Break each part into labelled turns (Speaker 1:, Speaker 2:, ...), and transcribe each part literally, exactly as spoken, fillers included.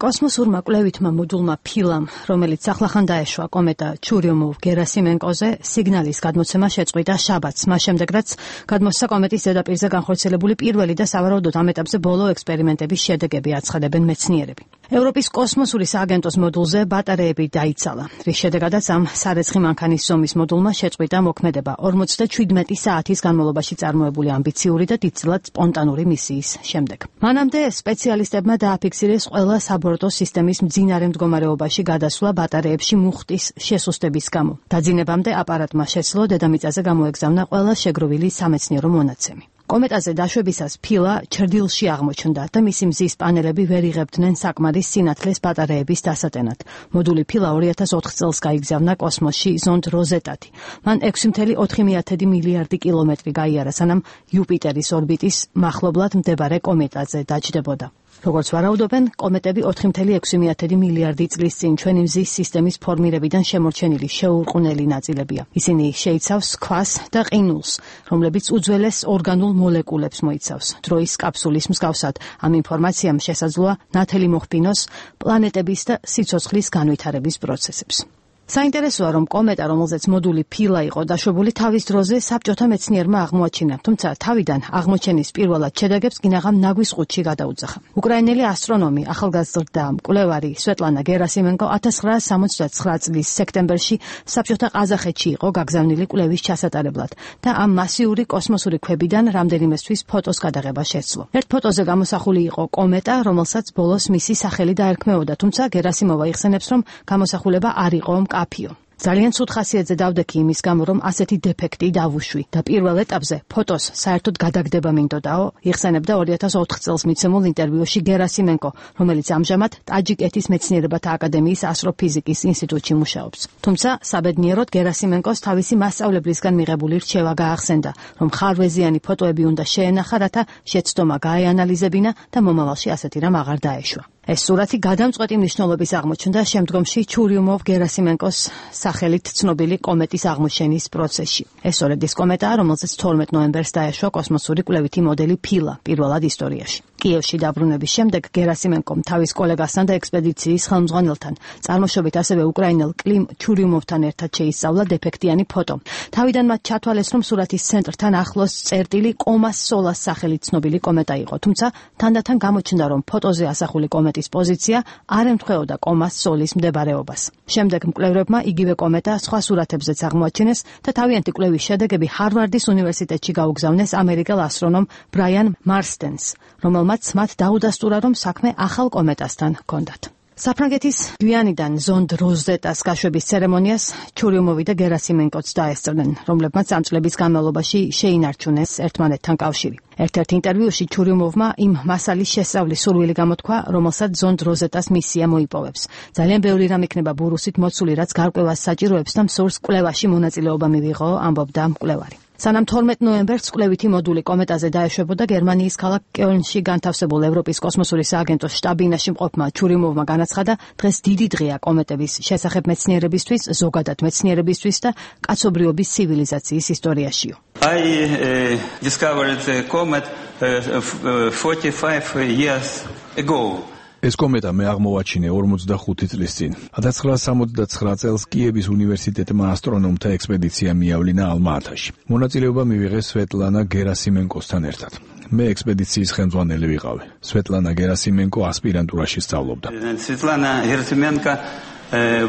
Speaker 1: კოსმოსურმა კვლევითმა მოდულმა ფილამ, რომელიც ახლახან დაეშვა კომეტა ჩურიომოვ-გერასიმენკოზე, სიგნალის გადმოცემა შეწყვიტა შაბათს, მას შემდეგ რაც გადმოსცა კომეტის ზედაპირზე განხორციელებული პირველი და სავარაუდოდ ამ ეტაპზე ბოლო ექსპერიმენტების შედეგები, აცხადებენ მეცნიერები. ევროპის კოსმოსური სააგენტოს მოდულზე ბატარეები დაიცალა, რის შედეგადაც ამ სარეცხი მანქანის ზომის მოდულმა შეწყვიტა მოქმედება ორმოცდაჩვიდმეტი საათის განმავლობაში წარმოებული ამბიციური და დიდწილად სპონტანური მისიის შემდეგ. მანამდე სპეციალისტებმა დააფიქსირეს ყველა საბორტო სისტემის მძინარე მდგომარეობაში გადასვლა ბატარეებში მუხტის შესუსტების გამო. დაძინებამდე აპარატმა შეძლო დედამიწაზე გამოეგზავნა ყველა შეგროვილი სამეცნიერო მონაცემი. კომეტაზე დაშვებისას ფილა ჩრდილში აღმოჩნდა და მისი მზის პანელები ვერ იღებდნენ საკმარის სინათლეს ბატარეების დასატენად. მოდული ფილა ორი ათას ოთხ წელს გაიგზავნა კოსმოსში ზონდ როზეტათი. მან ექვსი კoma ოთხი მილიარდი კილომეტრი გაიარა, სანამ იუპიტერის ორბიტის მახლობლად მდებარე კომეტაზე დაჯდებოდა. როგორც ვარაუდობენ, კომეტები ოთხი კoma ექვსი მილიარდი წლის წინ ჩვენი მზის სისტემის ფორმირებიდან შემორჩენილი შეურყვნელი ნაწილებია. ისინი შეიცავს ქვას და ყინულს, რომლებიც უძველეს ორგანულ მოლეკულებს მოიცავს. დროის კაფსულის მსგავსად, ამ ინფორმაციამ შესაძლოა ნათელი მოხბინოს პლანეტების და სიცოცხლის განვითარების პროცესებს. საინტერესოა, რომ კომეტა, რომელზეც მოდული ფილა იყო დაშვებული, თავის დროზე საბჭოთა მეცნიერმა აღმოაჩინა, თუმცა თავიდან აღმოჩენის პირველად შედეგებს კინაღამ ნაგვის ყუთში გადაუძახა. უკრაინელი ასტრონომი, ახალგაზრდა მკვლევარი სვეტლანა გერასიმენკო ათას ცხრაასი სამოცდათსაცხრა წლის სექტემბერში საბჭოთა ყაზახეთში იყო გაგზავნილი კვლევის ჩასატარებლად და ამ მასიური კოსმოსური ქვებიდან რამდენიმესთვის ფოტოს გადაღება შეძლო. ერთ ფოტოზე გამოსახული იყო კომეტა, რომელსაც ბოლოს მისი სახელი დაერქმეოდა, თუმცა გერასიმოვა იხსენებს, რომ გამოსახულება არ იყო კაფიო. ძალიან ცუდ ხასიათზე დავდექი იმის გამო, რომ ასეთი დეფექტი დავუშვი და პირველ ეტაპზე ფოტოს საერთოდ გადაგდება მინდოდაო, იხსენებდა ორი ათას ოთხ წელს მიცემულ ინტერვიუში გერასიმენკო, რომელიც ამჟამად ტაჯიკეთის მეცნიერებათა აკადემიის ასტროფიზიკის ინსტიტუტში მუშაობს. თუმცა საბედნიეროდ გერასიმენკოს თავისი მასწავლებლისგან მიღებული რჩევა გაახსენდა, რომ ხარვეზიანი ფოტოები უნდა შეენახა, რათა შეცდომა გაეანალიზებინა და მომავალში ასეთი რამ აღარ დაეშვა. ეს სურათი გადამწყვეტი მნიშვნელობის აღმოჩნდა შემდგომში ჩურიომოვ-გერასიმენკოს სახელით ცნობილი კომეტის აღმოჩენის პროცესში. ეს ორედის კომეტაა, რომელზეც თორმეტ ნოემბერს დაეშვა კოსმოსური კვლევითი მოდელი ფილა პირველად ისტორიაში. კიევში დაბრუნების შემდეგ გერასიმენკომ თავის კოლეგასთან და ექსპედიციის ხელმძღვანელთან, წარმოშობით ასევე უკრაინელ კლიმ ჩურიუმოვთან ერთად შეისწავლა დეფექტიანი ფოტო. თავიდან მათ ჩათვალეს, რომ სურათის ცენტრთან ახლოს წერტილი კომას სოლას სახელით ცნობილი კომეტა იყო, თუმცა თანდათან გამოჩნდა, რომ ფოტოზე ასახული კომეტის პოზიცია არ ემთხვეოდა კომას სოლის მდებარეობას. შემდეგ მკვლევრებმა იგივე კომეტა სხვა სურათებზეც აღმოაჩინეს და თავიანთი კვლევის შედეგები ჰარვარდის უნივერსიტეტში გაუგზავნეს ამერიკელ ასტრონომ ბრაიან მარსტენს, რომელმაც მათ დაუდასტურა, რომ საქმე ახალ კომეტასთან ჰქონდათ. საფრანგეთის გვიანიდან ზონდ როზეტას გაშვების ცერემონიას ჩურიუმოვი და გერასიმენკოც დაესწრნენ, რომლებმაც ამ წლების განმავლობაში შეინარჩუნეს ერთმანეთთან კავშირი. ერთ-ერთ ინტერვიუში ჩურიუმოვმა იმ მასალის შესწავლის სურვილი გამოთქვა, რომელსაც ზონდ როზეტას მისია მოიპოვებს. ძალიან ბევრი რამ იქნება ბურუსით მოცული, რაც გარკვევას საჭიროებს და მსურს კვლევაში მონაწილეობა მივიღო, ამბობდა მკვლევარი. სანამ თორმეტ ნოემბერს კვლევითი მოდული კომეტაზე დაეშვებოდა, გერმანიის ქალაქ კელნში განთავსებულ ევროპის კოსმოსური სააგენტოს შტაბ-ბინაში მყოფმა ჩურიუმოვმა განაცხადა, დღეს დიდი დღეა კომეტების შესახებ მეცნიერებისთვის, ზოგადად მეცნიერებისთვის და კაცობრიობის ცივილიზაციის ისტორიაშიო.
Speaker 2: I uh, discovered the comet uh, forty-five years ago.
Speaker 3: ეს კომეტა მე აღმოვაჩინე ორმოცდახუთი წლის წინ. ათას ცხრაასი სამოცდათსხრა წელს კიევის უნივერსიტეტმა ასტრონომთა ექსპედიცია მიავლინა ალმა-ათაში. მონაწილეობა მივიღეს სვეტლანა გერასიმენკოსთან ერთად. მე ექსპედიციის ხელმძღვანელი ვიყავი. სვეტლანა გერასიმენკო ასპირანტურაში სწავლობდა.
Speaker 2: Svetlana Gerasimenko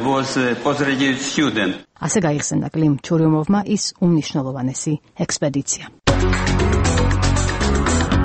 Speaker 2: was a postgraduate student.
Speaker 1: ასე გაიხსენდა კლიმ ჩურიუმოვმა ის უმნიშვნელოვანესი ექსპედიცია.